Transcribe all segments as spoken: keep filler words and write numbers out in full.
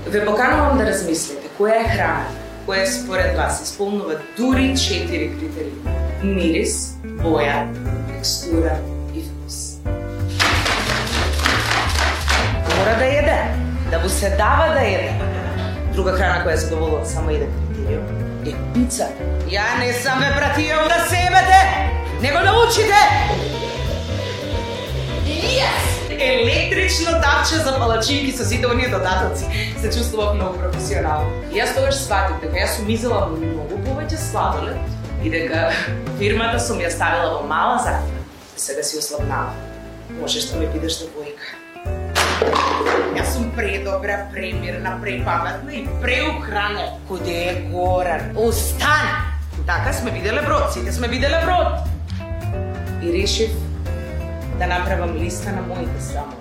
Ве поканувам да размислите која е храна која според вас исполнува дури четири критерии: мирис, боја, текстура и вкус. Мора да једе, да му се дава да једе. Друга храна која задоволува само еден критериум е пица. Ја не сам ве пратијал да се ебете, него да учите! Yes! Електрично тапче за палачинки со сите оние додатоци. Се чувствував многу професионално. Јас тогаш сватив дека јас сум изела многу повеќе сладолед и дека фирмата сум ја ставила во мала затвора. Сега си ослабнала. Можеш да ме бидеш девојка. Јас сум предобра, премирна, препаметна и преухранена. Коде е Горан? Остани! Така сме виделе брод, сите сме виделе брод. И решив да направам листа на моите срамови.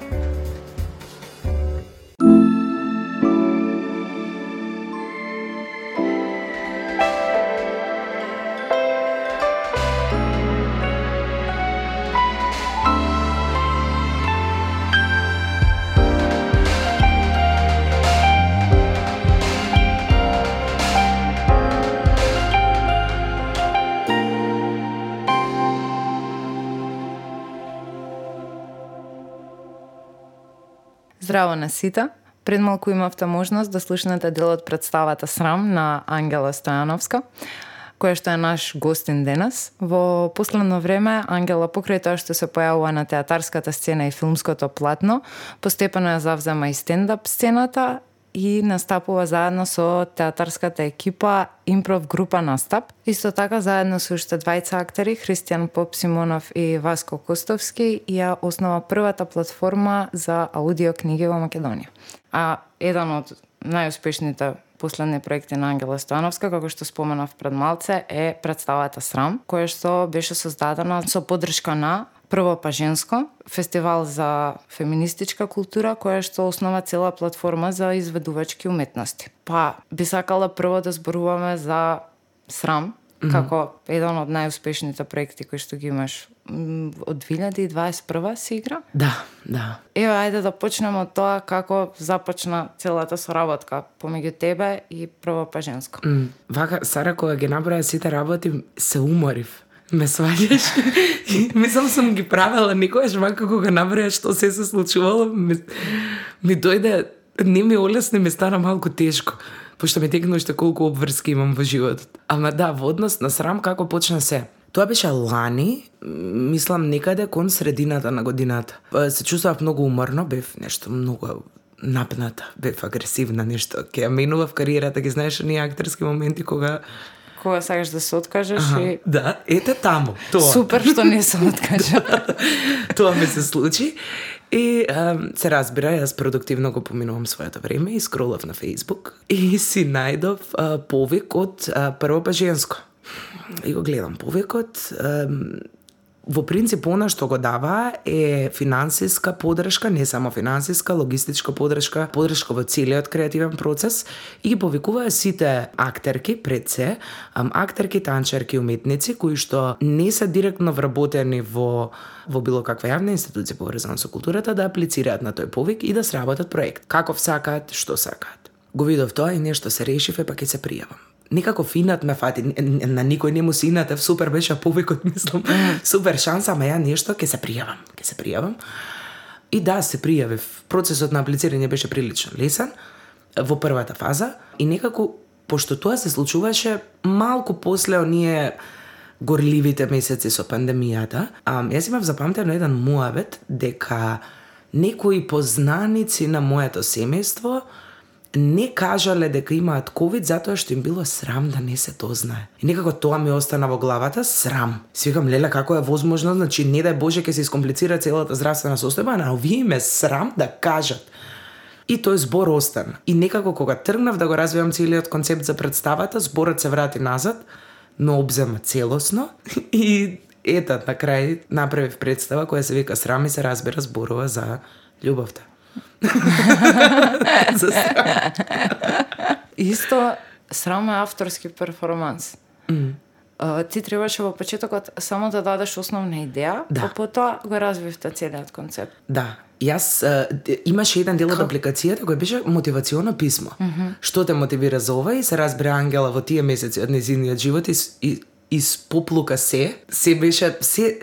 Здраво на сите! Пред малку имавте можност да слушнете дел од представата Срам на Ангела Стојановска, која што е наш гостин денес. Во последно време Ангела, покрај тоа што се појавува на театарската сцена и филмското платно, постепено ја завзема и стендап сцената и настапува заедно со театарската екипа импров група Настап. Исто така заедно со уште двајца актери, Христијан Попсимонов и Васко Костовски, ја основа првата платформа за аудио книги во Македонија. А еден од најуспешните последни проекти на Ангела Стојановска, како што споменав пред малце, е представата Срам, која што беше создадена со поддршка на Прво па женско, фестивал за феминистичка култура, која што основа цела платформа за изведувачки уметности. Па би сакала прво да зборуваме за Срам, mm-hmm. како еден од најуспешните проекти кои што ги имаш од две илјади и дваесет и прва се игра? Да, да. Ева, ајде да почнеме од тоа како започна целата соработка помеѓу тебе и Прво па женско. Mm. Вака, Сара, кога ги наброја сите работи, се уморив. Ме сваѓаш. Мислам сум ги правела никогаш, вака кога наброја што се се случувало, ми, ми дојде, не ми олесни, ми стана малку тешко, пошто ми текна уште колку обврски имам во животот. Ама да, во однос на Срам како почна се? Тоа беше лани, мислам некаде кон средината на годината. Се чувствував многу уморно, бев нешто многу напната, бев агресивна, нешто. Ке ја менував кариерата, ги знаеш оние актерски моменти кога кога сакаш да се откажеш Аха, и... Да, ете таму, тоа. Супер што не се откажа. Тоа ми се случи. И um, се разбира, јас продуктивно го поминувам своето време и скролав на Facebook и си најдов uh, повик од uh, Прво па женско. И го гледам повикот. Um, Во принцип, она што го дава е финансиска поддршка, не само финансиска, логистичка поддршка, поддршка во целиот креативен процес и ги повикуваа сите актерки пред се, актерки, танчерки, уметници кои што не се директно вработени во во било каква јавна институција поврзана со културата да аплицираат на тој повик и да сработат проект. Каков сакаат, што сакаат. Го видов тоа и нешто се решив, е па ќе се пријавам. Некако финат ме фати, на никој не му синатев, супер беше повикот, мислам, супер шанса, ама ја нешто, ќе се пријавам, ќе се пријавам. И да, се пријавив. Процесот на аплицирање беше прилично лесен во првата фаза и некако, пошто тоа се случуваше малку после оние горливите месеци со пандемијата, а, јас имав запамтено еден муабет дека некои познаници на моето семејство не кажале дека имаат ковид затоа што им било срам да не се дознае. И некако тоа ми остана во главата, срам. Си викам, леле, како е возможно, значи не дај Боже ќе се искомплицира целата здравствена состојба, а овие им е срам да кажат. И тој збор остана. И некако кога тргнав да го развивам целиот концепт за представата, зборот се врати назад, но обзема целосно и ета на крај направив представа која се вика Срам и се разбира зборува за љубовта. За Срам. Исто, Срам е авторски перформанс. Mm. Uh, ти требаше во почетокот само да дадеш основна идеја, да. а потоа го развивте целиот концепт. Да. Јас а, имаше еден дел од апликацијата кој беше мотивационо писмо. Mm -hmm. Што те мотивира за ова и се разбира Ангела во тие месеци од нејзиниот живот и, и испоплука се, се беше се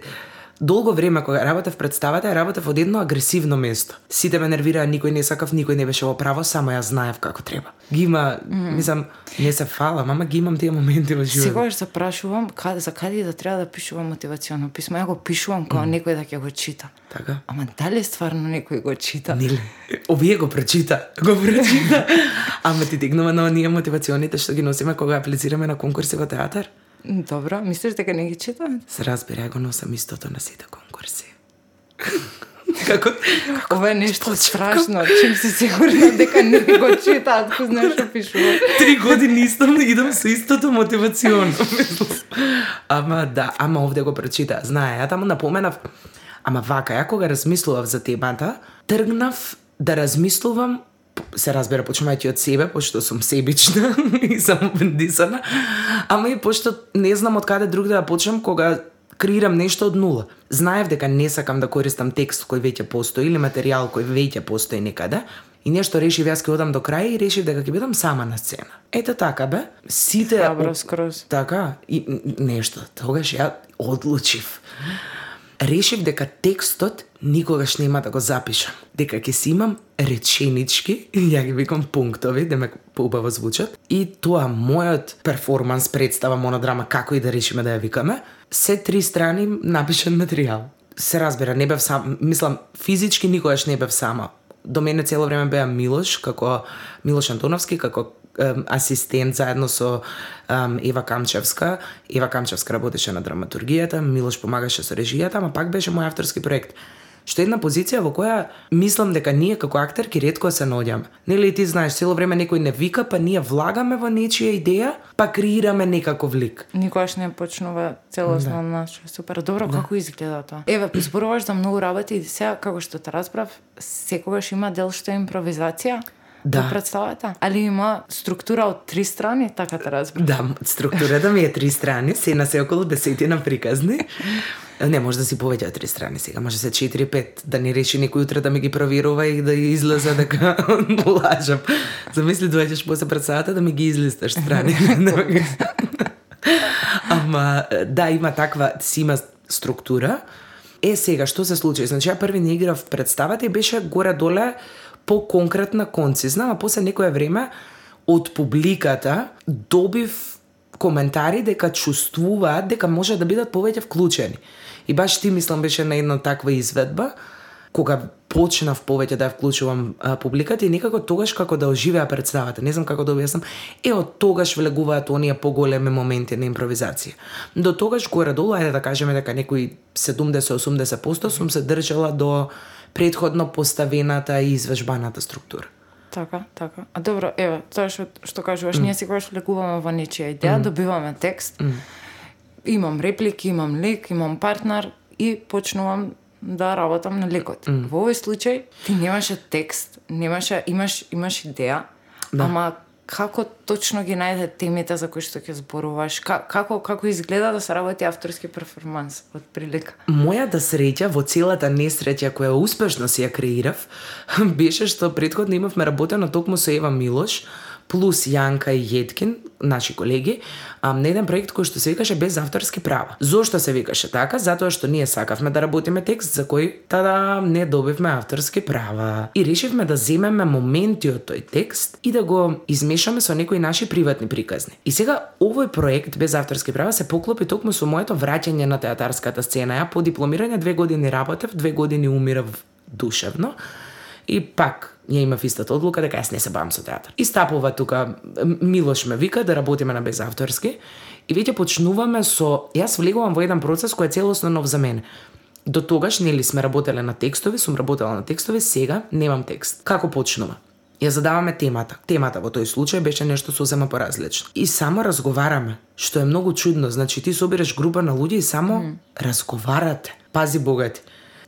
долго време кога работев представата, работев од едно агресивно место. Сите ме нервираа, никој не сакав, никој не беше во право, само јас знаев како треба. Ги има, mm. мислам, не се фалам, ама ги имам тие моменти во животот. Секогаш запрашувам каде за каде да треба да пишувам мотивационо писмо. Ја го пишувам кога mm. некој да ќе го чита. Така? Ама дали стварно некој го чита? Нели? Овие го прочита, го прочита. Ама ти тегнува на оние мотивационите што ги носиме кога аплицираме на конкурси во театар? Добро, мислиш дека не ги читам? Се разбира, ја го носам истото на сите конкурси. Како? Ова е нешто страшно, чим си сигурна дека не го читаат, кој знае што пишува. Три години исто идам со истото мотивационо. Ама да, ама овде го прочита. Знае, ја таму напоменав, ама вака, ја кога размислував за темата, тргнав да размислувам, се разбира, почнувајќи од себе, пошто сум себична и сам бендисана, ама и пошто не знам од каде друг да почнам кога креирам нешто од нула. Знаев дека не сакам да користам текст кој веќе постои или материјал кој веќе постои некаде, и нешто решив јас ќе одам до крај и решив дека ќе бидам сама на сцена. Ето така бе, сите Храбро скроз. Така, и нешто, тогаш ја одлучив. Решив дека текстот никогаш нема да го запишам, дека ќе си имам реченички, ја ги викам пунктови, да ме поубаво звучат, и тоа мојот перформанс, представа, монодрама, како и да решиме да ја викаме, се три страни напишан материјал. Се разбира, не бев сам, мислам, физички никогаш не бев сама. До мене цело време беа Милош, како Милош Антоновски, како ем, асистент заедно со ем, Ева Камчевска. Ева Камчевска работеше на драматургијата, Милош помагаше со режијата, ама пак беше мој авторски проект. Што е една позиција во која мислам дека ние како актерки ретко се наоѓаме. Нели ти знаеш, цело време некој не вика, па ние влагаме во нечија идеја, па креираме некаков лик. Никогаш не почнува целосно да. Наш. Супер. Добро, да. Како изгледа тоа? Еве, зборуваш за многу работи и сега, како што те разбрав, секогаш има дел што е импровизација. Да. Во представата? Али има структура од три страни, така те разбрав? Да, структурата ми е три страни, се на се околу десетина приказни. Не, може да си повеќе од три страни сега, може се четири пет, да не реши некој утре да ми ги проверува и да излезе дека лажам. Замисли, доаѓаш после представата да ми ги излисташ страни. Ама, да, има таква, си има структура. Е, сега, што се случи? Значи, ја први не играв представата и беше горе-доле по-конкретна, концизна, а после некое време од публиката добив коментари дека чувствуваат дека може да бидат повеќе вклучени. И баш ти, мислам, беше на една таква изведба, кога почнав повеќе да ја вклучувам а, публиката и некако тогаш како да оживеа представата. Не знам како да објаснам. Е, од тогаш влегуваат оние поголеми моменти на импровизација. До тогаш горе-долу, ајде да кажеме дека некои седумдесет до осумдесет проценти сум се држала до претходно поставената и извежбаната структура. Така, така. А добро, еве, тоа што што кажуваш, mm. ние секогаш влегуваме во нечија идеја, mm. добиваме текст. Mm. Имам реплики, имам лик, имам партнер и почнувам да работам на ликот. Mm. Во овој случај ти немаше текст, немаше, имаш имаш идеја, да. Ама како точно ги најде темите за кои што ќе зборуваш? Како како изгледа да се работи авторски перформанс од прилика? Мојата среќа во целата несреќа која успешно си ја креирав беше што претходно имавме работено токму со Ева Милош плюс Јанка и Јеткин, наши колеги, а, на еден проект кој што се викаше Без авторски права. Зошто се викаше така? Затоа што ние сакавме да работиме текст за кој тада не добивме авторски права. И решивме да земеме моменти од тој текст и да го измешаме со некои наши приватни приказни. И сега овој проект Без авторски права се поклопи токму со моето враќање на театарската сцена. Ја по дипломирање две години работев, две години умирав душевно. И пак ја имав истата одлука дека јас не се бавам со театар. И стапува тука, Милош ме вика да работиме на безавторски и веќе почнуваме со, јас влегувам во еден процес кој е целосно нов за мене. До тогаш нели сме работеле на текстови, сум работела на текстови, сега немам текст. Како почнува? Ја задаваме темата. Темата во тој случај беше нешто сосема поразлично. И само разговараме, што е многу чудно. Значи ти собираш група на луѓе и само mm. разговарате. Пази богати.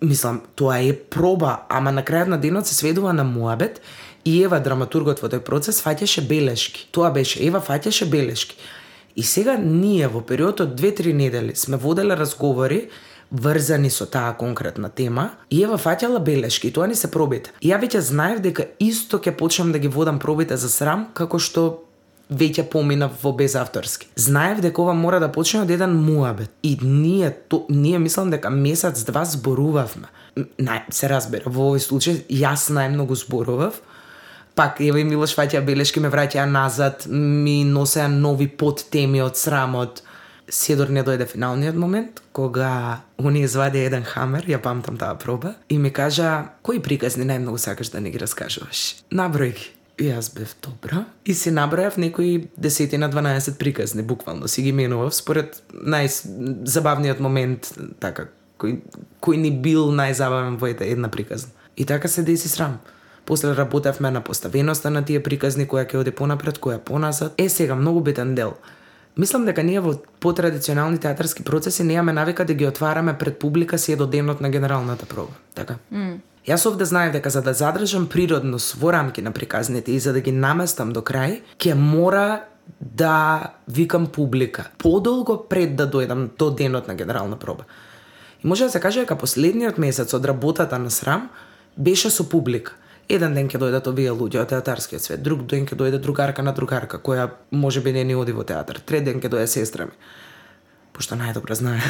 Мислам, тоа е проба, ама на крајот на денот се сведува на муабет и Ева, драматургот во тој процес, фаќаше белешки. Тоа беше, Ева фаќаше белешки. И сега ние во период од две-три недели сме воделе разговори врзани со таа конкретна тема, и ева фаќала белешки, и тоа ни се пробите. И ја веќе знаев дека исто ќе почнам да ги водам пробите за срам, како што веќе поминав во безавторски. Знаев дека ова мора да почне од еден муабет. И ние, то, ние мислам дека месец-два зборувавме. Нај, се разбира, во овој случај јас најмногу зборував. Пак, ева и Милош фаќа белешки, ме враќаа назад, ми носеа нови подтеми од срамот. Седор не дојде финалниот момент, кога они извади еден хамер, ја памтам таа проба, и ми кажа, кои приказни најмногу сакаш да не ги раскажуваш? Наброј ги. И јас бев добра. И си набројав некои десетина дванаесет приказни, буквално си ги менував според најзабавниот момент, така, кој, кој ни бил најзабавен во една приказна. И така се деси срам. После работевме на поставеноста на тие приказни, која ќе оди понапред, која поназад. Е, сега, многу битен дел. Мислам дека ние во потрадиционални театарски процеси немаме навика да ги отвараме пред публика си до денот на генералната проба. Така? Mm. Јас овде знаев дека за да задржам природност во рамки на приказните и за да ги наместам до крај, ќе мора да викам публика подолго пред да дојдам до денот на генерална проба. И може да се каже дека последниот месец од работата на срам беше со публика. Еден ден ќе дојдат овие луѓе од театарскиот свет, друг ден ќе дојде другарка на другарка, која можеби не ни оди во театар, трет ден ќе дојде сестра ми. Пошто најдобро знае.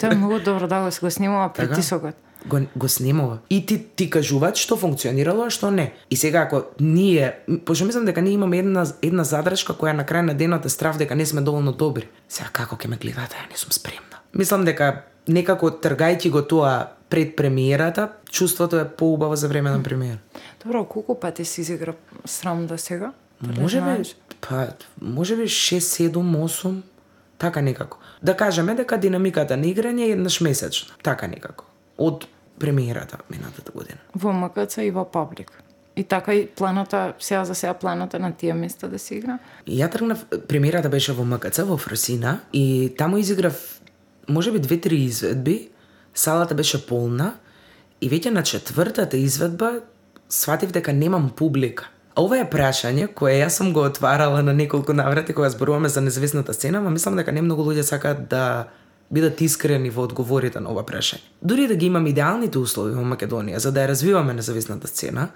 Тоа е многу добро да го го снимува притисокот. Го, го снимува. И ти, ти кажуваат што функционирало, а што не. И сега ако ние, пошто мислам дека ние имаме една, една задршка која на крај на денот е страв дека не сме доволно добри. Сега како ќе ме гледате, ја не сум спремна. Мислам дека некако тргајќи го тоа пред премиерата, чувството е поубаво за време на премиера. Добро, колку пати си изигра срам до сега? Може би, па, може би шест, седум, осум, така некако. Да кажеме дека динамиката на играње е еднаш месечно, така некако. Од премиерата минатата година. Во М К Ц и во Паблик. И така и планата, сега за сега планата на тие места да се игра? Ја тргнав, премиерата беше во М К Ц, во Фросина, и таму изиграв можеби две-три изведби, салата беше полна, и веќе на четвртата изведба сватив дека немам публика. А ова е прашање кое јас сум го отварала на неколку наврати кога зборуваме за независната сцена, ма мислам дека не многу луѓе сакаат да бидат искрени во одговорите на ова прашање. Дури да ги имам идеалните услови во Македонија за да ја развиваме независната сцена,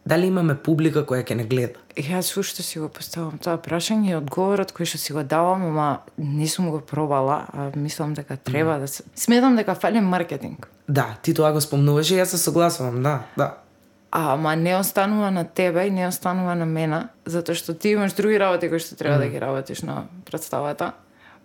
дали имаме публика која ќе не гледа? Јас уште си го поставам тоа прашање и одговорот кој што си го давам, ама не сум го пробала, а мислам дека треба mm. да се... Сметам дека фали маркетинг. Да, ти тоа го спомнуваш и јас се согласувам, да, да. Ама не останува на тебе и не останува на мене, затоа што ти имаш други работи кои што треба mm. да ги работиш на представата.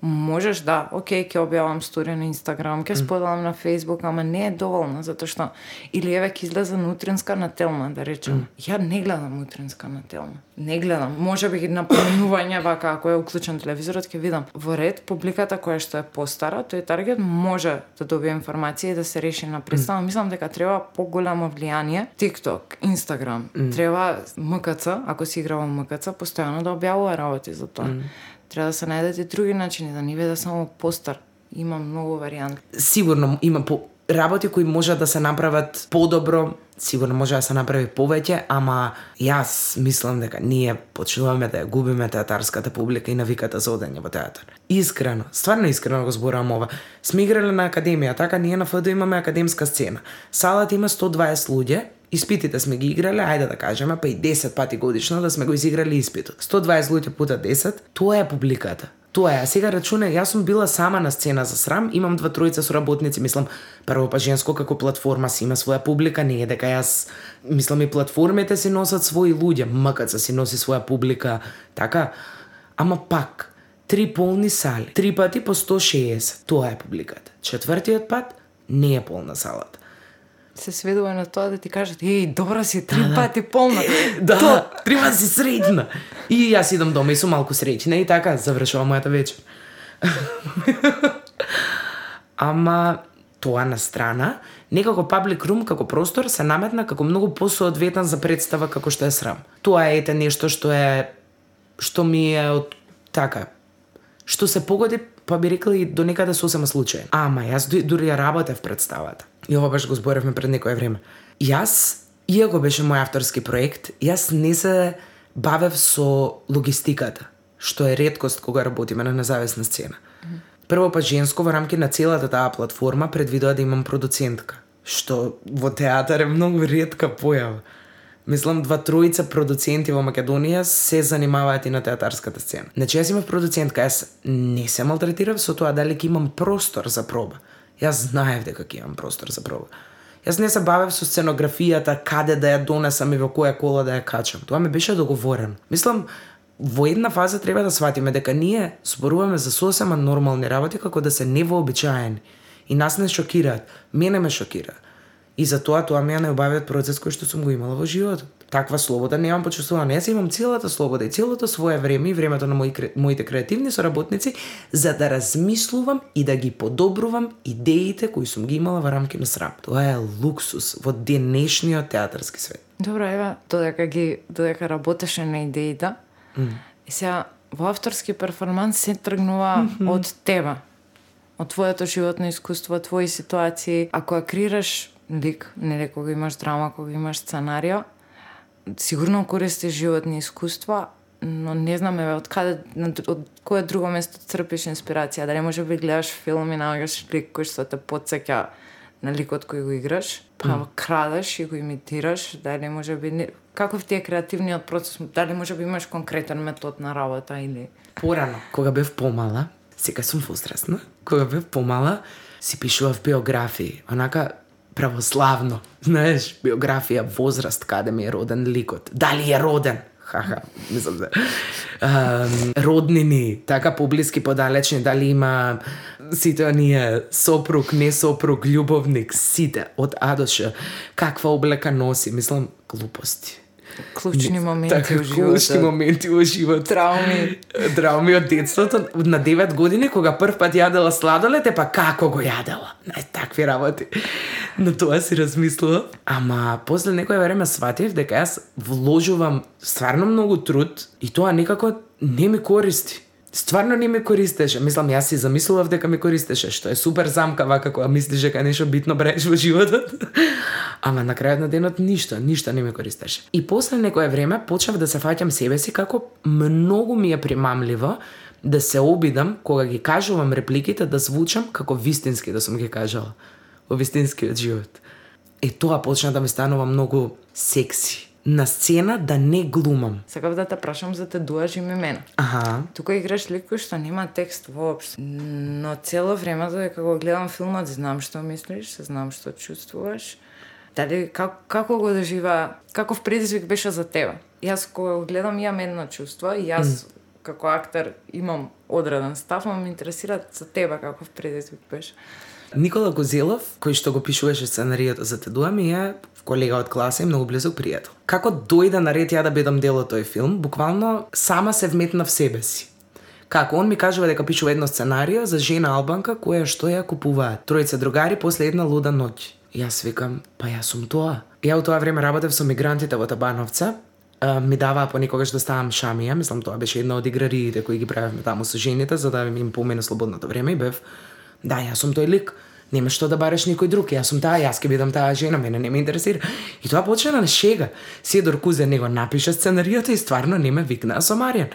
Можеш да, окей, ќе објавам стори на Инстаграм, ќе споделам на Фејсбук, ама не е доволно, затоа што или еве ќе излезе на утринска на Телма, да речем. Mm. Ја не гледам утринска на Телма. Не гледам. Можеби на поминување вака ако е уклучен телевизорот ќе видам. Во ред публиката која што е постара, тој таргет може да добие информација и да се реши на представа. Mm. Мислам дека треба поголемо влијание TikTok, Инстаграм. Mm. Треба М К Ц, ако си игра во М К Ц, постојано да објавува работи за тоа. Mm. Треба да се најдат и други начини, да не биде само постар. Има многу варијанти. Сигурно има по работи кои може да се направат подобро, сигурно може да се направи повеќе, ама јас мислам дека ние почнуваме да ја губиме театарската публика и навиката за одење во театар. Искрено, стварно искрено го зборувам ова. Сме играле на академија, така ние на Ф Д имаме академска сцена. Салата има сто дваесет луѓе, испитите сме ги играле, ајде да кажеме, па и десет пати годишно да сме го изиграли испитот. сто дваесет луѓе пута десет, тоа е публиката. Тоа е, а сега рачуне, јас сум била сама на сцена за срам, имам два тројца соработници, мислам, прво па женско како платформа си има своја публика, не е дека јас, мислам и платформите си носат своји луѓе, М К Ц си носи своја публика, така, ама пак, три полни сали, три пати по сто шеесет, тоа е публиката. Четвртиот пат не е полна салата. Се сведува на тоа да ти кажат, еј, добра си, три да, пати полна. Да, три пати си среќна. И јас идам дома и сум малку среќна и така завршува мојата вечер. Ама тоа на страна, некако паблик рум како простор се наметна како многу посоодветен за представа како што е срам. Тоа е ете нешто што е што ми е од така што се погоди, па би рекла и до некаде сосема случај. Ама јас дури ја работев представата. И ова баш го зборевме пред некое време. Јас, иако беше мој авторски проект, јас не се бавев со логистиката, што е реткост кога работиме на независна сцена. Mm-hmm. Прво па женско во рамки на целата таа платформа предвидува да имам продуцентка, што во театар е многу ретка појава. Мислам, два тројца продуценти во Македонија се занимаваат и на театарската сцена. Значи, јас имав продуцентка, јас не се малтретирав со тоа дали ќе имам простор за проба. Јас знаев дека ќе имам простор за проба. Јас не се бавев со сценографијата, каде да ја донесам и во која кола да ја качам. Тоа ми беше договорено. Мислам, во една фаза треба да сватиме дека ние зборуваме за сосема нормални работи како да се невообичаени. И нас не шокираат. Мене ме шокира. И затоа тоа ми ја необавиот процес кој што сум го имала во животот. Таква слобода немам почувствувана. Јас имам целата слобода и целото свое време и времето на мои, моите креативни соработници за да размислувам и да ги подобрувам идеите кои сум ги имала во рамки на срам. Тоа е луксус во денешниот театарски свет. Добро, ева, додека ги додека работеше на идеите, mm. и сега во авторски перформанс се тргнува mm-hmm. од тебе, од твоето животно искуство, твои ситуации. Ако ја креираш лик, нели кога имаш драма, кога имаш сценарио, сигурно користиш животни искуства, но не знам еве од каде, од кое друго место црпиш инспирација. Дали може би гледаш филм и наоѓаш лик кој што те потсеќа на ликот кој го играш, па mm. крадеш и го имитираш, дали може би не... каков ти е креативниот процес, дали може би имаш конкретен метод на работа или порано, кога бев помала, сега сум возрастна, кога бев помала, си пишував биографии, онака православно, знаеш, биографија, возраст, каде ми е роден ликот, дали е роден, ха-ха, мислам да, um, роднини, така поблиски, подалечни, дали има сите оние сопруг, не сопруг, љубовник, сите, од А до Ш, каква облека носи, мислам, глупости. Клучни моменти така, во животот. Клучни моменти во живот. Трауми. Трауми од детството. На девет години, кога прв пат јадела сладолед, е па како го јадела. Нај, такви работи. На тоа си размислував. Ама, после некој време сватив дека јас вложувам стварно многу труд и тоа некако не ми користи. Стварно не ми користеше. Мислам, јас си замислував дека ми користеше, што е супер замка вака кога мислиш дека нешто битно правиш во животот. Ама на крајот на денот ништо, ништо не ми користеше. И после некое време почнав да се фаќам себе си како многу ми е примамливо да се обидам кога ги кажувам репликите да звучам како вистински да сум ги кажала во вистинскиот живот. Е тоа почна да ми станува многу секси. На сцена да не глумам. Сакав да те прашам за те дуаш име мене. Аха. Тука играш лик кој што нема текст воопшто. Но цело време додека го гледам филмот, знам што мислиш, знам што чувствуваш. Дали как, како го дожива, каков предизвик беше за тебе? Јас кога го гледам имам едно чувство и јас mm. како актер имам одреден став, но ме интересира за тебе каков предизвик беше. Никола Гозелов, кој што го пишуваше сценаријата за Те дуа, ми е колега од класа и многу близок пријател. Како дојде на ред ја да бидам дел од тој филм, буквално сама се вметна в себе си. Како он ми кажува дека пишува едно сценарио за жена албанка која што ја купуваат тројца другари после една луда ноќ. Јас викам, па јас сум тоа. Ја во тоа време работев со мигрантите во Табановца, ми даваа понекогаш да ставам шамија, мислам тоа беше една од играриите кои ги правевме таму со жените за да им помине слободното време и бев, да, јас сум тој лик. Нема што да бараш никој друг, јас сум таа, јас ќе бидам таа жена, мене не ме интересира. И тоа почна на шега. Седор Кузе него напиша сценаријата и стварно не ме викнаа со Маријан.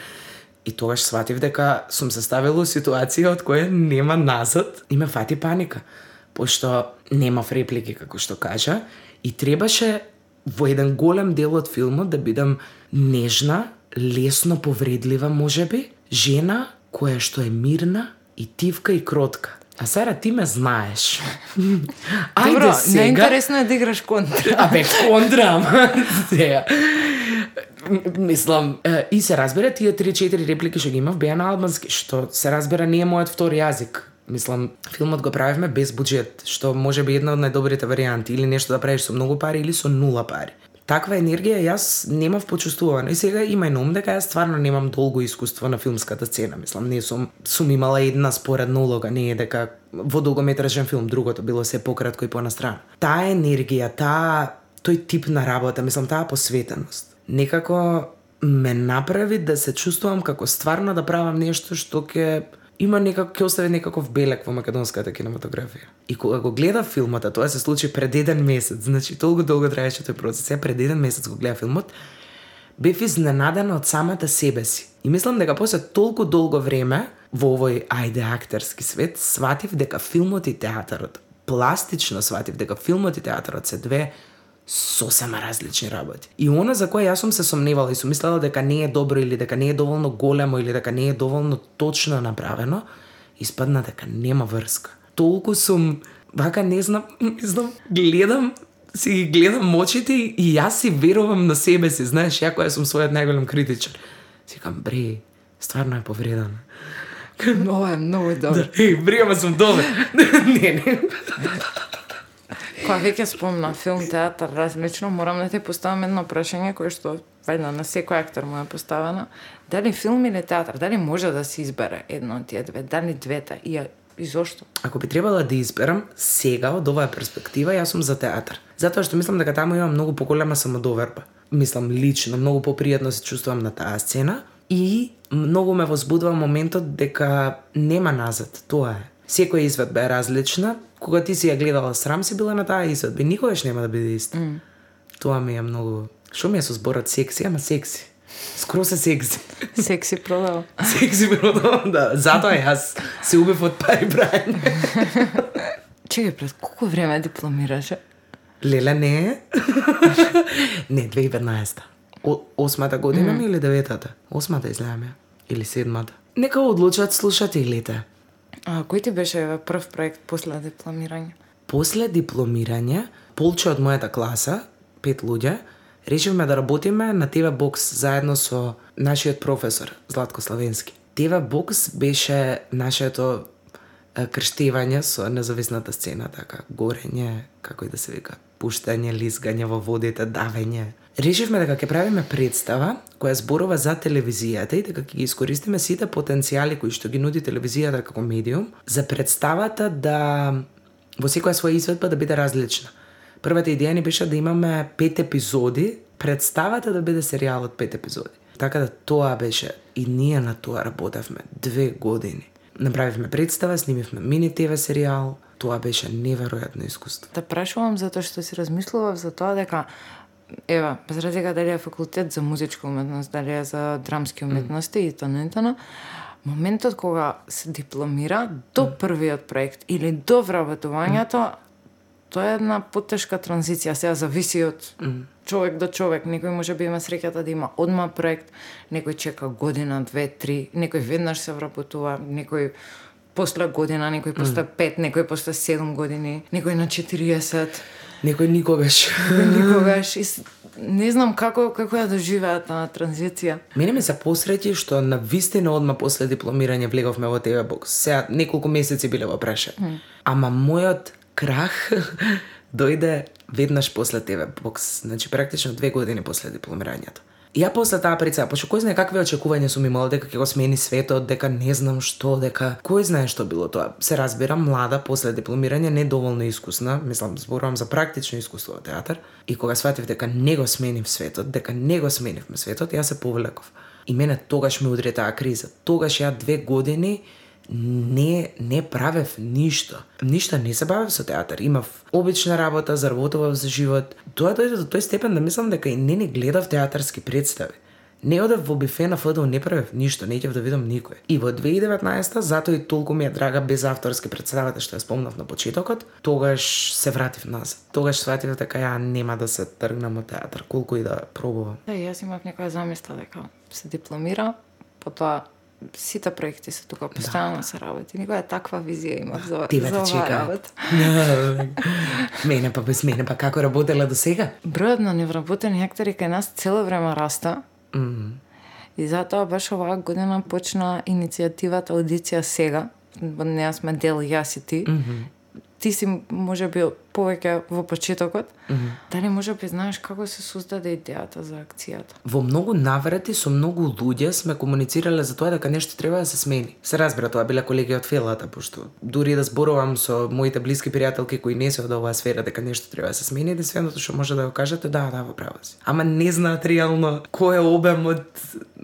И тогаш сватив дека сум се ставила во ситуација од која нема назад и ме фати паника. Пошто немав реплики како што кажа и требаше во еден голем дел од филмот да бидам нежна, лесно повредлива можеби, жена која што е мирна и тивка и кротка. А Сара, ти ме знаеш. Ајде Добро, сега. неинтересно е да играш контра. А бе, контра, ама. Мислам, и се разбира, тие три-четири реплики што ги имав беа на албански, што се разбира не е мојот втори јазик. Мислам, филмот го правевме без буџет, што може би една од најдобрите варијанти, или нешто да правиш со многу пари или со нула пари. Таква енергија јас немав почувствувано. И сега имај на ум дека јас стварно немам долго искуство на филмската сцена. Мислам, не сум, сум имала една споредна улога, не е дека во долгометражен филм другото било се пократко и понастрано. Таа енергија, таа тој тип на работа, мислам, таа посветеност, некако ме направи да се чувствувам како стварно да правам нешто што ќе има некако, ќе остави некаков белек во македонската кинематографија. И кога го гледав филмот, а тоа се случи пред еден месец, значи толку долго траеше тој процес, ја пред еден месец го гледав филмот, бев изненадена од самата себе си. И мислам дека после толку долго време во овој ајде актерски свет сватив дека филмот и театарот, пластично сватив дека филмот и театарот се две сосема различни работи. И она за кое јас сум се сомневала и сум мислела дека не е добро или дека не е доволно големо или дека не е доволно точно направено, испадна дека нема врска. Толку сум, вака не знам, мислам, гледам, си ги гледам очите и јас си верувам на себе си, знаеш, ја која сум својот најголем критичар. Си кам, бре, стварно е повреден. Ова е многу добро. Да, еј, бре, ама сум добар. Не, не. Кога веќе спомна филм, театар, различно, морам да ти поставам едно прашање кое што вајда на секој актер му е поставено. Дали филм или театар, дали може да се избере едно од тие две, дали двете и, и зошто? Ако би требала да изберам сега од оваа перспектива, јас сум за театар. Затоа што мислам дека таму има многу поголема самодоверба. Мислам лично, многу попријатно се чувствувам на таа сцена и многу ме возбудува моментот дека нема назад, тоа е. Секоја изведба е различна. Кога ти си ја гледала срам, си била на таа изведба. Никогаш нема да биде иста. Mm. Тоа ми е многу... Шо ми е со зборот секси, ама секси. Скроз е секси. Секси продава. Секси продава, да. Затоа јас се убив од пари брајање. Чекај, пред колку време дипломираше? Леле, не. Не, две илјади и петнаесета. О, осмата година ми mm. или деветата? Осмата изгледаме. Или седмата. Нека одлучат слушателите. А кој ти беше прв проект после дипломирање? После дипломирање, полче од мојата класа, пет луѓе, решивме да работиме на Ти Ви Бокс заедно со нашиот професор Златко Славенски. Ти Ви Бокс беше нашето крштевање со независната сцена, така, горење, како и да се вика, пуштање, лизгање во водите, давење. Решивме дека ќе правиме представа која зборува за телевизијата и дека ќе ги искористиме сите потенцијали кои што ги нуди телевизијата како медиум за представата да во секоја своја изведба да биде различна. Првата идеја ни беше да имаме пет епизоди, представата да биде серијал од пет епизоди. Така да тоа беше и ние на тоа работевме две години. Направивме представа, снимивме мини Ти Ви серијал, тоа беше неверојатно искуство. Да прашувам затоа што си размислував за тоа дека ева, без разлика дали е факултет за музичка уметност, дали е за драмски уметности mm. и т.н. моментот кога се дипломира до mm. првиот проект или до вработувањето, mm. тоа е една потешка транзиција, сега зависи од mm. човек до човек. Некој може би има среќата да има одма проект, некој чека година, две, три, некој веднаш се вработува, некој после година, некој после mm. пет, некој после седум години, некој на четириесет. Некој никогаш. Никогаш. И не знам како како ја доживеат таа транзиција. Мене ми се посреќи што на вистина одма после дипломирање влеговме во Ти Ви Бокс. Сега неколку месеци биле во прашање. Mm. Ама мојот крах дојде веднаш после Ти Ви Бокс, значи практично две години после дипломирањето. Ја после таа представа, пошто кој знае какви очекувања сум имала, дека ќе го смени светот, дека не знам што, дека кој знае што било тоа. Се разбира, млада после дипломирање, не доволно искусна, мислам, зборувам за практично искуство во театар, и кога сватив дека не го сменив светот, дека не го сменивме светот, ја се повлеков. И мене тогаш ме удри таа криза. Тогаш ја две години не не правев ништо. Ништо не се бавев со театар. Имав обична работа, заработував за живот. Тоа дојде до тој степен да мислам дека и не ни гледав театарски представи. Не одев во бифе на ФДУ, не правев ништо, не ќев да видам никој. И во две илјади и деветнаесета, затоа и толку ми е драга без авторски представата што ја спомнав на почетокот, тогаш се вратив назад. Тогаш сватив дека ја нема да се тргнам од театар, колку и да пробувам. Да, јас имав некоја замисла дека се дипломира, потоа сите проекти се тука постојано да. Се работи. Никоја таква визија имав за, за оваа работа. Мене па без мене па како работела до сега? Бројот на невработени актери кај нас цело време раста. Mm. И затоа баш оваа година почна иницијативата Аудиција сега. Во неа сме дел јас и ти. Mm-hmm. Ти си може би повеќе во почетокот. Mm-hmm. Дали може би знаеш како се создаде идејата за акцијата? Во многу наврати со многу луѓе сме комуницирале за тоа дека нешто треба да се смени. Се разбира, тоа биле колеги од фелата, пошто дури да зборувам со моите блиски пријателки кои не се од оваа сфера дека нешто треба да се смени, единственото што може да го кажете, да, да, во право си. Ама не знаат реално кој е обемот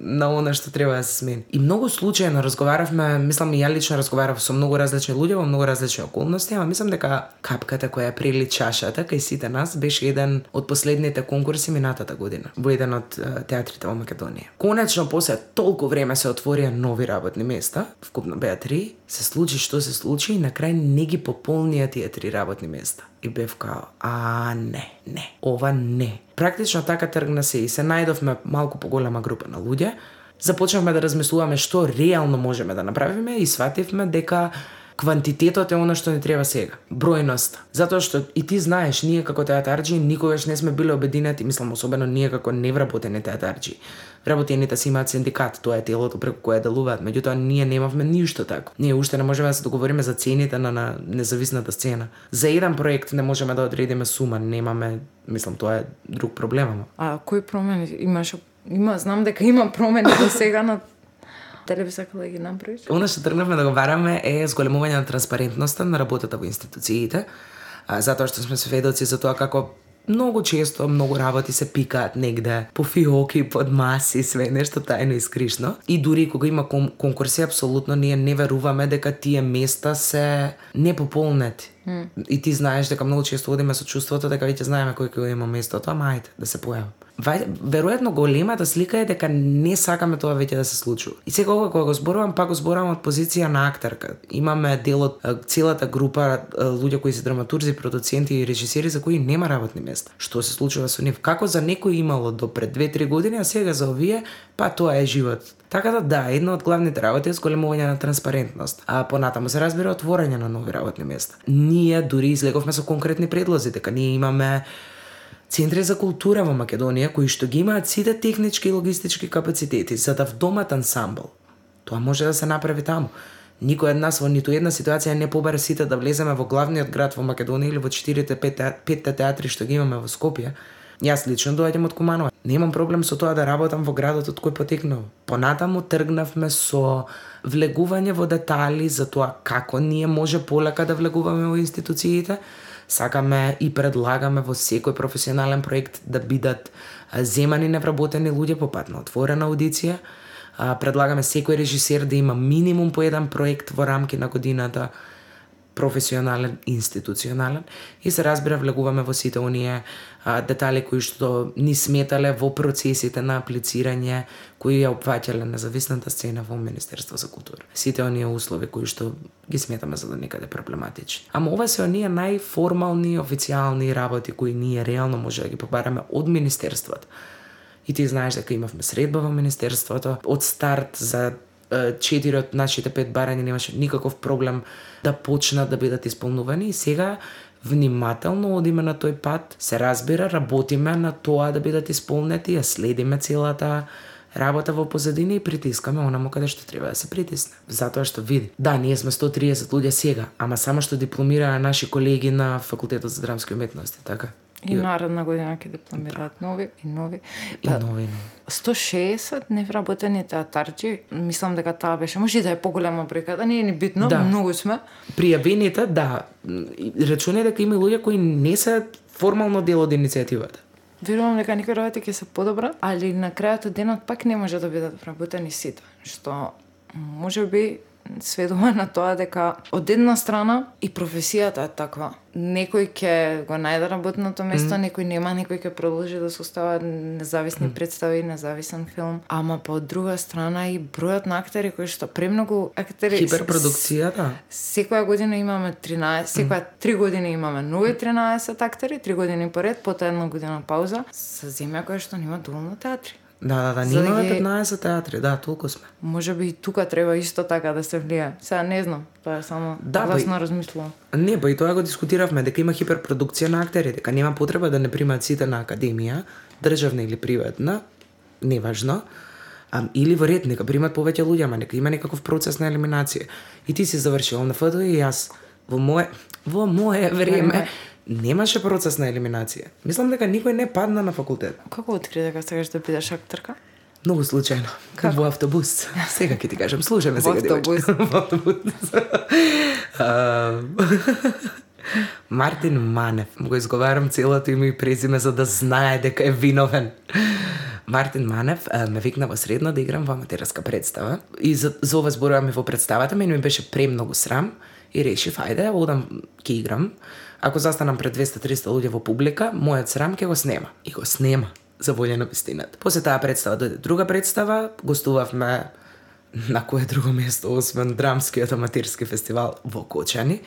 на она што треба да се смени. И многу случајно разговаравме, мислам и ја лично разговарав со многу различни луѓе во многу различни околности, ама мислам дека капката која прели чашата кај сите нас беше еден од последните конкурси минатата година во еден од театрите во Македонија. Конечно после толку време се отворија нови работни места, вкупно беа три, се случи што се случи и на крај не ги пополнија тие три работни места. И бев као, а не, не, ова не. Практично така тргна се и се најдовме малку поголема група на луѓе. Започнавме да размислуваме што реално можеме да направиме и свативме дека квантитетот е она што не треба сега. Бројноста. Затоа што и ти знаеш, ние како театарџи никогаш не сме биле обединети, мислам особено ние како невработени театарџи. Вработените си имаат синдикат, тоа е телото преку кое делуваат, меѓутоа ние немавме ништо тако. Ние уште не можеме да се договориме за цените на, на независната сцена. За еден проект не можеме да одредиме сума, немаме, мислам тоа е друг проблем. А кои промени имаш? Има, знам дека има промени до сега на дали би сакала да ги направиш? Она што тргнавме да го бараме е зголемување на транспарентноста на работата во институциите, а, затоа што сме сведоци за тоа како многу често многу работи се пикаат негде по фиоки, под маси, све нешто тајно и скришно. И дури кога има кон конкурси, апсолутно ние не веруваме дека тие места се непополнети. Mm. И ти знаеш дека многу често одиме со чувството дека веќе знаеме кој кој има местото, ама ајде да се појави. Веројатно големата слика е дека не сакаме тоа веќе да се случува. И секогаш кога го зборувам, пак го зборувам од позиција на актерка. Имаме дел од целата група луѓе кои се драматурзи, продуценти и режисери за кои нема работни места. Што се случува со нив? Како за некој имало до пред две-три години, а сега за овие, па тоа е живот. Така да да, една од главните работи е зголемување на транспарентност. А понатаму се разбира отворање на нови работни места. Ние дури излеговме со конкретни предлози, дека ние имаме центри за култура во Македонија кои што ги имаат сите технички и логистички капацитети за да вдомат ансамбл. Тоа може да се направи таму. Никој од нас во ниту една ситуација не побара сите да влеземе во главниот град во Македонија или во четирите петте театри што ги имаме во Скопје. Јас лично доаѓам од Куманова. Немам проблем со тоа да работам во градот од кој потекнав. Понатаму тргнавме со влегување во детали за тоа како ние може полека да влегуваме во институциите. Сакаме и предлагаме во секој професионален проект да бидат земани невработени луѓе по пат на отворена аудиција. Предлагаме секој режисер да има минимум по еден проект во рамки на годината, професионален, институционален, и се разбира влегуваме во сите оние а, детали кои што ни сметале во процесите на аплицирање кои ја опфаќале независната сцена во Министерство за култура. Сите оние услови кои што ги сметаме за да некаде проблематични. Ама ова се оние најформални, официјални работи кои ние реално може да ги побараме од Министерството. И ти знаеш дека имавме средба во Министерството. Од старт за четири од нашите пет барања немаше никаков проблем да почнат да бидат исполнувани и сега внимателно одиме на тој пат, се разбира, работиме на тоа да бидат исполнети, ја следиме целата работа во позадина и притискаме онаму каде што треба да се притисне. Затоа што види, да, ние сме сто и триесет луѓе сега, ама само што дипломираа наши колеги на Факултетот за драмски уметности, така? И наредна година ќе дипломираат нови и нови. И Па, нови, нови. сто и шеесет невработени театарџи, мислам дека таа беше, може и да е поголема бројка, да не е ни битно, Да. многу сме. Пријавените, да, рачунај дека има луѓе кои не се формално дел од иницијативата. Верувам дека некои работи ќе се подобрат, али на крајот од денот пак не може да бидат вработени сите, што може би сведува на тоа дека од една страна и професијата е таква. Некој ќе го најде работното место, mm. некој нема, некој ќе продолжи да се остава независни mm. представи, независен филм. Ама па од друга страна и бројот на актери кои што премногу актери Хиперпродукција, да. Секоја година имаме тринаесет, секоја три години имаме нови тринаесет актери, три години поред, потоа една година пауза, со земја која што нема доволно театри. Да, да, да, За да немаме ги- петнаесет театри, да, толку сме. Може би и тука треба исто така да се влие. Сега не знам, тоа е само Да, да, па и- гласно размислувам. Не, па и тоа го дискутиравме, дека има хиперпродукција на актери, дека нема потреба да не примаат сите на академија, државна или приватна, неважно, а, или во ред, нека примат повеќе луѓе, ама нека има некаков процес на елиминација. И ти си завршил на ФД и јас во мое во мое време немаше процес на елиминација. Мислам дека никој не падна на факултет. Како откри дека сакаш да бидеш актерка? Многу случајно. Во автобус. Сега ќе ти кажам, слушаме Во сега. автобус. девојче. Во автобус. А, Мартин Манев. Го изговарам целото име и презиме за да знае дека е виновен. Мартин Манев а, ме викна во средно да играм во аматерска представа. И за, за ова зборуваме во представата, мене ми беше премногу срам и решив, ајде, одам ќе играм. Ако застанам пред двеста до триста луѓе во публика, мојот срам ќе го снема. И го снема, за волја на вистината. После таа представа дојде друга представа, гостувавме на кое друго место, освен драмскиот аматерски фестивал во Кочани.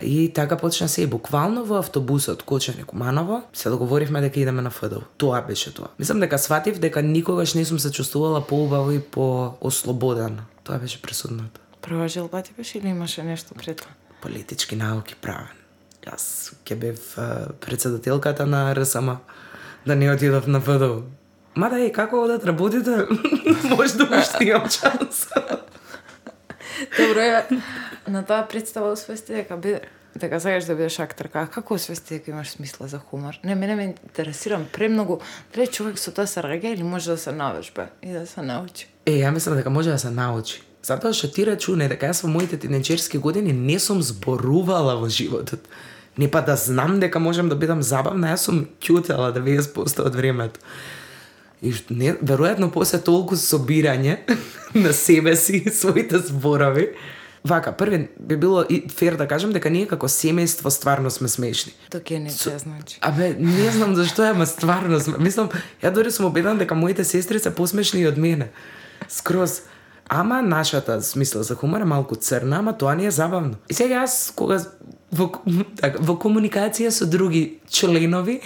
И така почна се и буквално во автобусот Кочани-Куманово се договоривме дека идеме на ФДУ. Тоа беше тоа. Мислам дека сватив дека никогаш не сум се чувствувала поубаво и по-ослободена. Тоа беше пресудното. Прва желба ти беше или имаше нешто пред тоа? Политички науки правен. Јас ќе бев председателката на РСМ, да не отидов на ФДУ. Мада е, како одат работите? Може да уште имам шанс. Добро е, на таа представа освести дека би дека сакаш да бидеш актерка. Како освести дека имаш смисла за хумор? Не, мене ме интересирам премногу дали човек со тоа се раѓа или може да се навежба и да се научи. Е, ја мислам дека може да се научи. Затоа што ти рачуне дека јас во моите тинеџерски години не сум зборувала во животот. Не па да знам дека можам да бидам забавна, јас сум ќутела деведесет проценти од времето. И не, веројатно после толку собирање на себе си, своите зборови. Вака, први би било и фер да кажам дека ние како семејство стварно сме смешни. Токе не се значи. Абе, не знам зашто е, ама стварно сме. Мислам, ја дори сум убедена дека моите сестри се посмешни и од мене. Скроз. Ама нашата смисла за хумор е малку црна, ама тоа не е забавно. И сега јас кога во, така, во комуникација со други членови,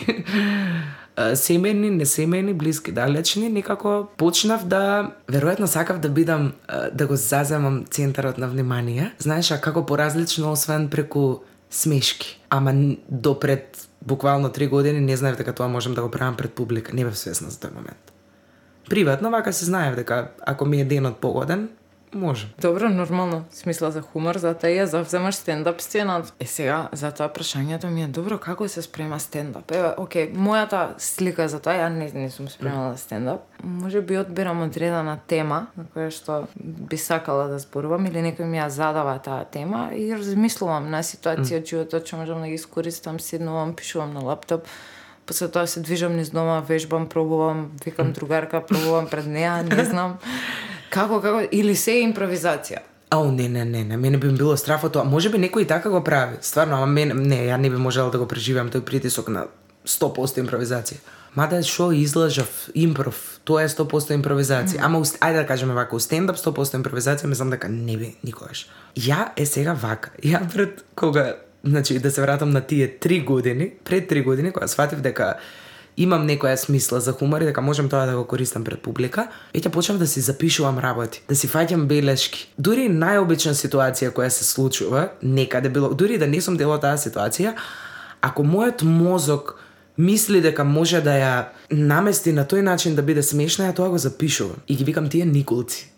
семејни, несемејни, блиски, далечни, некако почнав да, веројатно сакав да бидам, да го заземам центарот на внимание. Знаеш, а како поразлично освен преку смешки. Ама до пред буквално три години не знаев дека тоа можам да го правам пред публика. Не бев свесна за тој момент. Приватно, вака се знаев дека ако ми е денот погоден, може. Добро, нормално. Смисла за хумор, затоа ја завземаш стендап сцената. Е сега, затоа прашањето ми е добро, како се спрема стендап? Еве, окей, мојата слика за тоа, ја не, не сум спремала стендап. Може би одбирам одредена тема на која што би сакала да зборувам или некој ми ја задава таа тема и размислувам на ситуација од животот што можам да ги искористам, седнувам, пишувам на лаптоп. После тоа се движам низ дома, вежбам, пробувам, викам другарка, пробувам пред неа, не знам. Како, како, или се е импровизација? Ау, не, не, не, не, мене би било страф од тоа. Може би некој и така го прави. Стварно, ама мене, не, ја не би можела да го преживеам тој притисок на сто проценти импровизација. Мада шо излажав, импров, тоа е сто проценти импровизација. Mm. Ама, ајде да кажеме вака, у стендап сто проценти импровизација, мислам дека не би никогаш. Ја е сега вака. Ја пред кога, значи, да се вратам на тие три години, пред три години, кога сватив дека имам некоја смисла за хумор и дека можам тоа да го користам пред публика, веќе почнав да си запишувам работи, да си фаќам белешки. Дури најобична ситуација која се случува, некаде било, дури да не сум дел од таа ситуација, ако мојот мозок мисли дека може да ја намести на тој начин да биде смешна, ја тоа го запишувам. И ги викам тие никулци.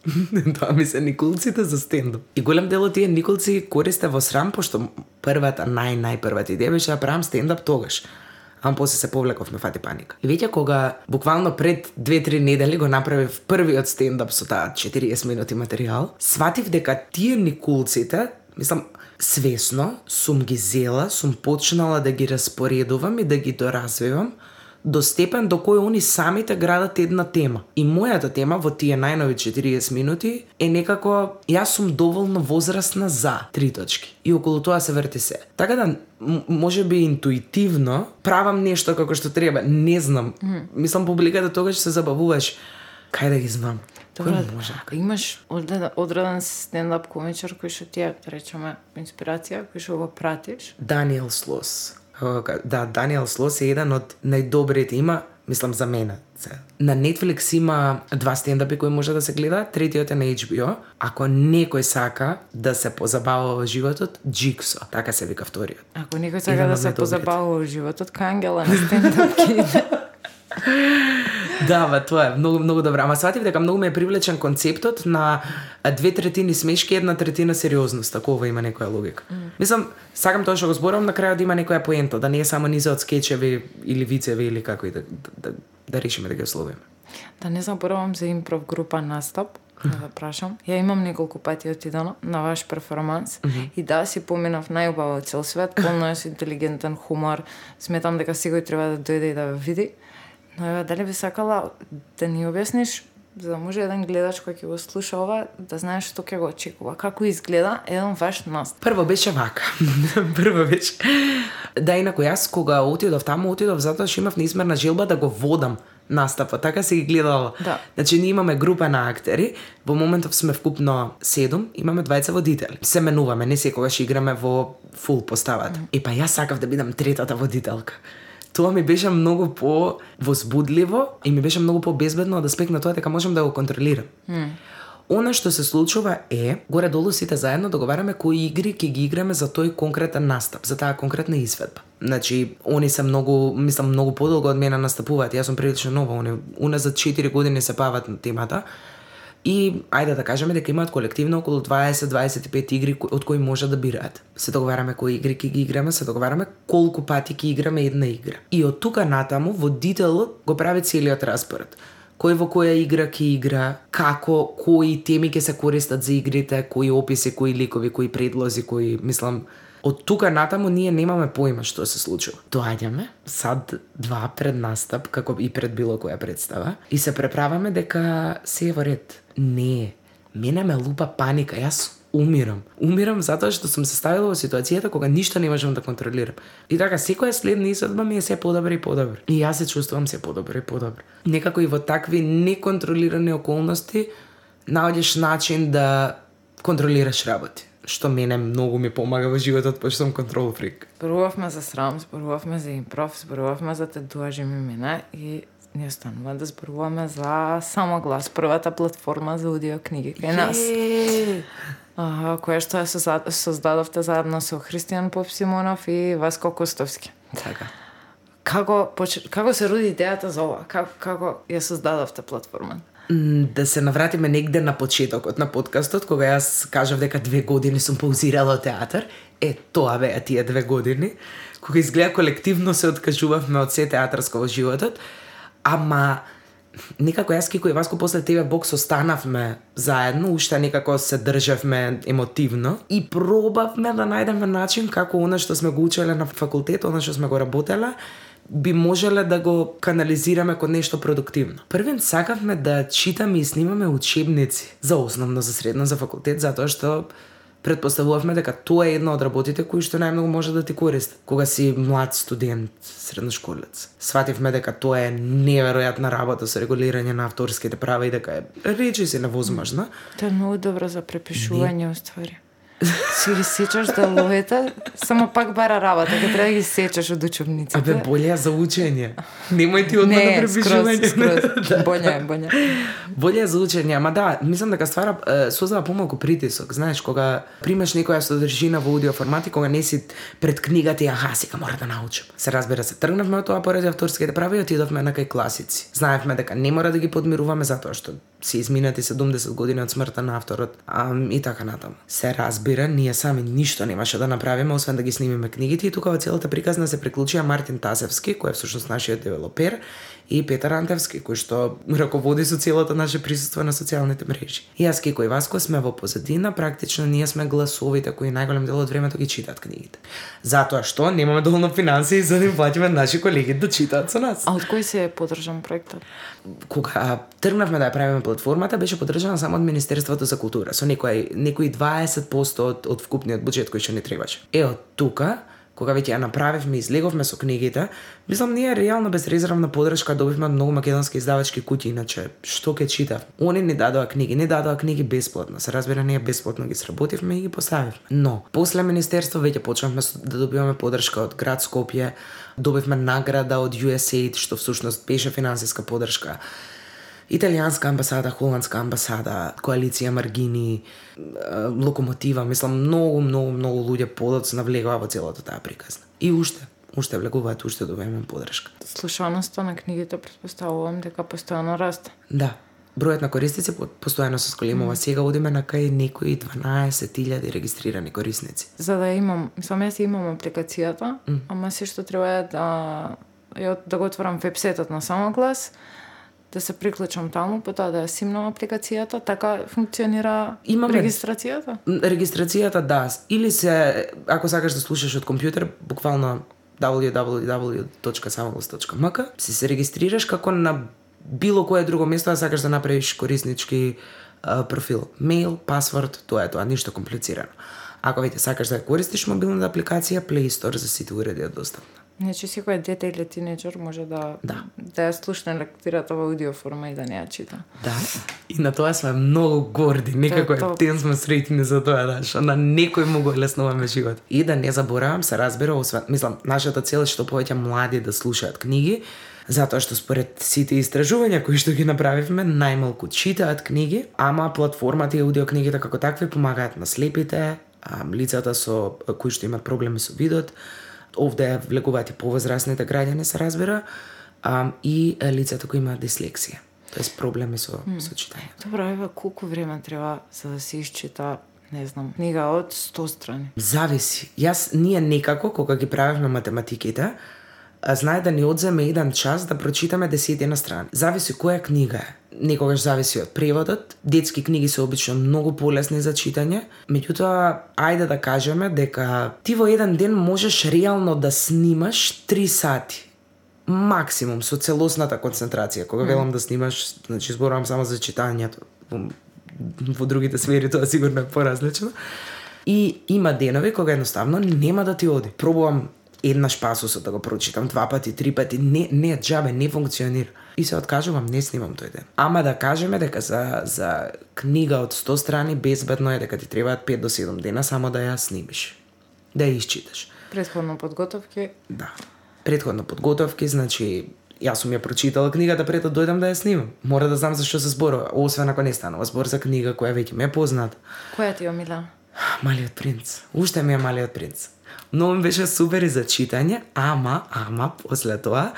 Тоа ми се никулците за стендап. И голем дел од тие никулци користе во срам, пошто првата, нај-најпрвата идеја беше да правам стендап тогаш. Ама после се повлеков, ме фати паника. И веќе кога буквално пред две-три недели го направив првиот стендап со таа четириесет минути материјал, сватив дека тие никулците, мислам, свесно сум ги зела, сум почнала да ги распоредувам и да ги доразвивам до степен до кој они самите градат една тема. И мојата тема во тие најнови четириесет минути е некако јас сум доволно возрастна за три точки. И околу тоа се врти се. Така да може би интуитивно правам нешто како што треба, не знам. Mm. Мислам публиката тогаш се забавуваш. Кај да ги знам? Добро, може? Имаш одреден стендап комичар кој што ти е, речеме, инспирација, кој што го пратиш? Даниел Слос. Да, Даниел Слос е еден од најдобрите, има, мислам за мене. На Netflix има два стендапи кои може да се гледа, третиот е на H B O. Ако некој сака да се позабавува во животот, Джиксо, така се вика вториот. Ако некој сака да се позабавува во животот, кај Ангела на стендап ки. Да, ба, тоа е многу многу добро. Ама сватив дека многу ме е привлечен концептот на две третини смешки, една третина сериозност, ако ова има некоја логика. Mm. Мислам, сакам тоа што го зборувам, на крајот да има некоја поента, да не е само низа од скечеви или вицеви или како и да да, да решиме да ги ословиме. Да не заборавам за импров група настап, да да прашам. Ја имам неколку пати отидено на ваш перформанс mm -hmm. и да си поминав најубаво цел свет, полно е со интелигентен хумор. Сметам дека секој треба да дојде и да ве види. Но ева, дали би сакала да ни објасниш, за да може еден гледач кој ќе го слуша ова, да знаеш што ќе го очекува. Како изгледа еден ваш настап? Прво беше вака. Прво беше. Да, инаку јас кога отидов таму, отидов затоа што имав неизмерна желба да го водам настапот. Така се ги гледала. Да. Значи, ние имаме група на актери, во моментов сме вкупно седум, имаме двајца водители. Се менуваме, не секогаш играме во фул поставата. Mm. И па јас сакав да бидам третата водителка. Тоа ми беше многу по-возбудливо и ми беше многу по-безбедно од аспект на тоа дека можам да го контролирам. Mm. Она што се случува е, горе-долу сите заедно договараме кои игри ќе ги играме за тој конкретен настап, за таа конкретна изведба. Значи, они се многу, мислам, многу подолго од мене настапуваат. Јас сум прилично нова, они уназад четири години се бават на темата. И ајде да кажеме дека имаат колективно околу дваесет до дваесет и пет игри од кои може да бираат. Се договараме кои игри ќе ги играме, се договараме колку пати ќе играме една игра. И од тука натаму водителот го прави целиот распоред. Кој во која игра ќе игра, како, кои теми ќе се користат за игрите, кои описи, кои ликови, кои предлози, кои, мислам, од тука натаму ние немаме поима што се случува. Доаѓаме сад два пред настап, како и пред било која представа, и се преправаме дека се е во ред. Не, мене ме лупа паника, јас умирам. Умирам затоа што сум се ставила во ситуацијата кога ништо не можам да контролирам. И така, секоја следна изведба ми е се подобро и подобро. И јас се чувствувам се подобро и подобро. Некако и во такви неконтролирани околности наоѓаш начин да контролираш работи, што мене многу ми помага во животот, пошто сум контрол фрик. Зборувавме за срам, зборувавме за импров, зборувавме за тетуажи имена и ние станува да зборуваме за Самоглас, првата платформа за аудио книги кај нас. А, која што ја создадовте заедно со Христијан Попсимонов и Васко Костовски. Така. Како како се роди идејата за ова? Како како ја создадовте платформата? Да се навратиме негде на почетокот на подкастот, кога јас кажав дека две години сум паузирала театар. Е, тоа беа тие две години, кога изгледа колективно се откажувавме од се театарско во животот, ама некако јас Кико и Васко после тебе бокс останавме заедно, уште некако се државме емотивно и пробавме да најдеме начин како она што сме го учеле на факултет, она што сме го работеле, би можеле да го канализираме кон нешто продуктивно. Првен сакавме да читаме и снимаме учебници за основно, за средно, за факултет, затоа што предпоставувавме дека тоа е една од работите кои што најмногу може да ти користат кога си млад студент, средношколец. Свативме дека тоа е неверојатна работа со регулирање на авторските права и дека е речиси невозможна. Тоа е многу добро за препишување, уствари. Си ги сечаш деловете, само пак бара работа, кога треба да ги сечаш од учебниците. Абе, боле за учење. Немој ти одма на препишување. Не, скроз, скроз. Боле е, боле. Боле за учење, ама да, мислам дека ствара создава помалку притисок, знаеш, кога примаш некоја содржина во аудио формати, кога не си пред книгата и аха, сега мора да научам. Се разбира се, тргнавме од тоа поради авторските права и отидовме на кај класици. Знаевме дека не мора да ги подмируваме затоа што се изминати седумдесет години од смртта на авторот, а, и така натаму. Се разбира, ние сами ништо немаше да направиме освен да ги снимиме книгите и тука во целата приказна се приклучија Мартин Тасевски, кој е всушност нашиот девелопер, и Петар Антевски, кој што раководи со целото наше присуство на социјалните мрежи. И јас Кико и Васко сме во позадина, практично ние сме гласовите кои најголем дел од времето ги читаат книгите. Затоа што немаме доволно финансии за да им платиме наши колеги да читаат со нас. А од кој се е поддржан проектот? Кога тргнавме да ја правиме платформата, беше поддржана само од Министерството за култура, со некои некои дваесет проценти од, од вкупниот буџет кој што ни требаше. Е, од тука, кога веќе ја направивме, излеговме со книгите, мислам, ние реално безрезервна поддршка добивме од многу македонски издавачки куќи, иначе што ќе читав. Они ни дадоа книги, не дадоа книги бесплатно. Се разбира, ние бесплатно ги сработивме и ги поставивме. Но после министерство веќе почнавме да добиваме поддршка од град Скопје, добивме награда од ю ес ей ай ди, што всушност беше финансиска поддршка. Италијанска амбасада, холандска амбасада, коалиција Маргини, Локомотива, мислам, многу, многу, многу луѓе подоцна навлегува во целата таа приказна. И уште, уште влегуваат, уште добиваме поддршка. Слушаноста на книгите претпоставувам дека постојано расте. Да. Бројот на корисници постојано се сколемува. Сега одиме на кај некои дванаесет илјади регистрирани корисници. За да имам, мислам, јас имам апликацијата, mm. ама се што треба е да ја да го отворам вебсајтот на Самоглас, да се приклучам таму, потоа да ја симнам апликацијата, така функционира Имаме... регистрацијата? Регистрацијата, да. Или се, ако сакаш да слушаш од компјутер, буквално дабљу дабљу дабљу точка самоглас точка ем ка, си се регистрираш како на било кое друго место да сакаш да направиш кориснички а, профил. Мејл, пасворд, тоа е тоа, ништо комплицирано. Ако веќе сакаш да ја користиш мобилната апликација, Play Store за сите уреди е достапна. Значи секој дете или тинеџер може да да, да ја слушне лектирата во аудио форма и да не ја чита. Да. И на тоа сме многу горди, некако е тен сме среќни за тоа, да, што на некој му го леснуваме живот. И да не заборавам, се разбира, освен, мислам, нашата цел е што повеќе млади да слушаат книги, затоа што според сите истражувања кои што ги направивме, најмалку читаат книги, ама платформата и аудиокнигите како такви помагаат на слепите, лицата со кои што имаат проблеми со видот, овде влегуваат и повозрасните граѓани, се разбира, а, и лицата кои имаат дислексија, тоест проблеми со, mm. со читање. Добро, ева, колку време треба за да се исчита, не знам, книга од сто страни? Зависи. Јас, ние некако, кога ги правевме математиките, знае да ни одземе еден час да прочитаме десетина страни. Зависи која книга е. Некогаш зависи од преводот. Детски книги се обично многу полесни за читање. Меѓутоа, ајде да кажеме дека ти во еден ден можеш реално да снимаш три сати. Максимум со целосната концентрација. Кога велам да снимаш, значи зборувам само за читањето. Во, во другите сфери тоа сигурно е поразлично. И има денови кога едноставно нема да ти оди. Пробувам еднаш пасусот да го прочитам, два пати, три пати, не, не, джабе, не функционира. И се откажувам, не снимам тој ден. Ама да кажеме дека за, за книга од сто страни безбедно е дека ти требаат пет до седум дена само да ја снимиш, да ја исчиташ. Предходно подготовки? Да. Предходно подготовки, значи, јас сум ја прочитала книгата пред да дојдам да ја снимам. Мора да знам за што се зборува, освен ако не станува збор за книга која веќе ме е позната. Која ти е омилена? Малиот принц. Уште ми е Малиот принц. Но ми беше супер и за читање, ама, ама, после тоа,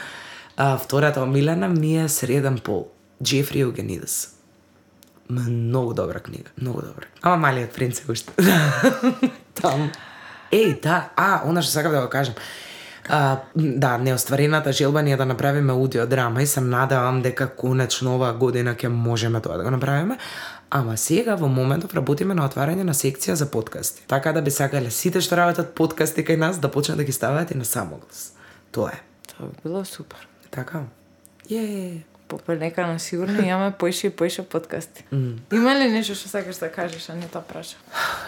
а, втората омилена ми е Среден пол, Джефри Еугенидис. Многу добра книга, многу добра. Ама Малиот принц е уште. Там. Еј, да, а, она што сакав да го кажам. А, да, неостварената желба ни е да направиме аудиодрама и се надевам дека конечно оваа година ќе можеме тоа да го направиме. Ама сега во моментов работиме на отварање на секција за подкасти. Така да би сакале сите што работат подкасти кај нас да почнат да ги ставаат и на самоглас. Тоа е. Тоа би било супер. Така. Је. Попелека на сигурно имаме поише и поише подкасти. Mm. Има ли нешто што сакаш да кажеш, а не тоа праша?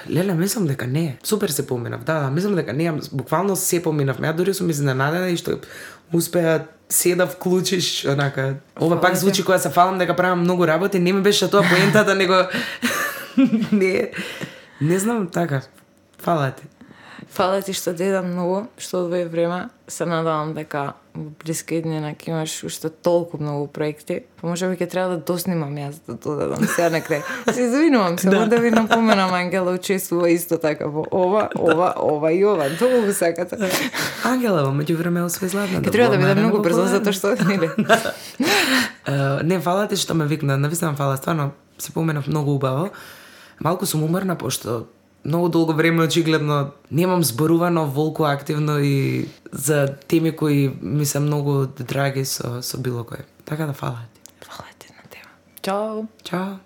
Леле, мислам дека не. Супер се поминав. Да, да, мислам дека не. Буквално се поминав. Ја дури сум изненадена и што успеа се да вклучиш, онака. Ова пак звучи кога се фалам дека правам многу работи, не ми беше тоа поентата, него не. Не знам така. Фала ти. Фала ти што деда многу, што одвои време. Се надавам дека во блиска иднина ќе имаш уште толку многу проекти. Па може би ќе треба да доснимам јас да додадам сега на крај. Се извинувам, само да ви напоменам, Ангела учествува исто така во ова, ова, ова и ова. Долго сакате. Ангела, во меѓувреме освои златна. Ќе треба да биде многу брзо затоа што нели. Не, фала ти што ме викна, навистина фала, стварно се поменав многу убаво. Малку сум уморна пошто многу долго време очигледно немам зборувано волку активно и за теми кои ми се многу драги со со било кој. Така да фала ти. Фала ти на тема. Чао. Чао.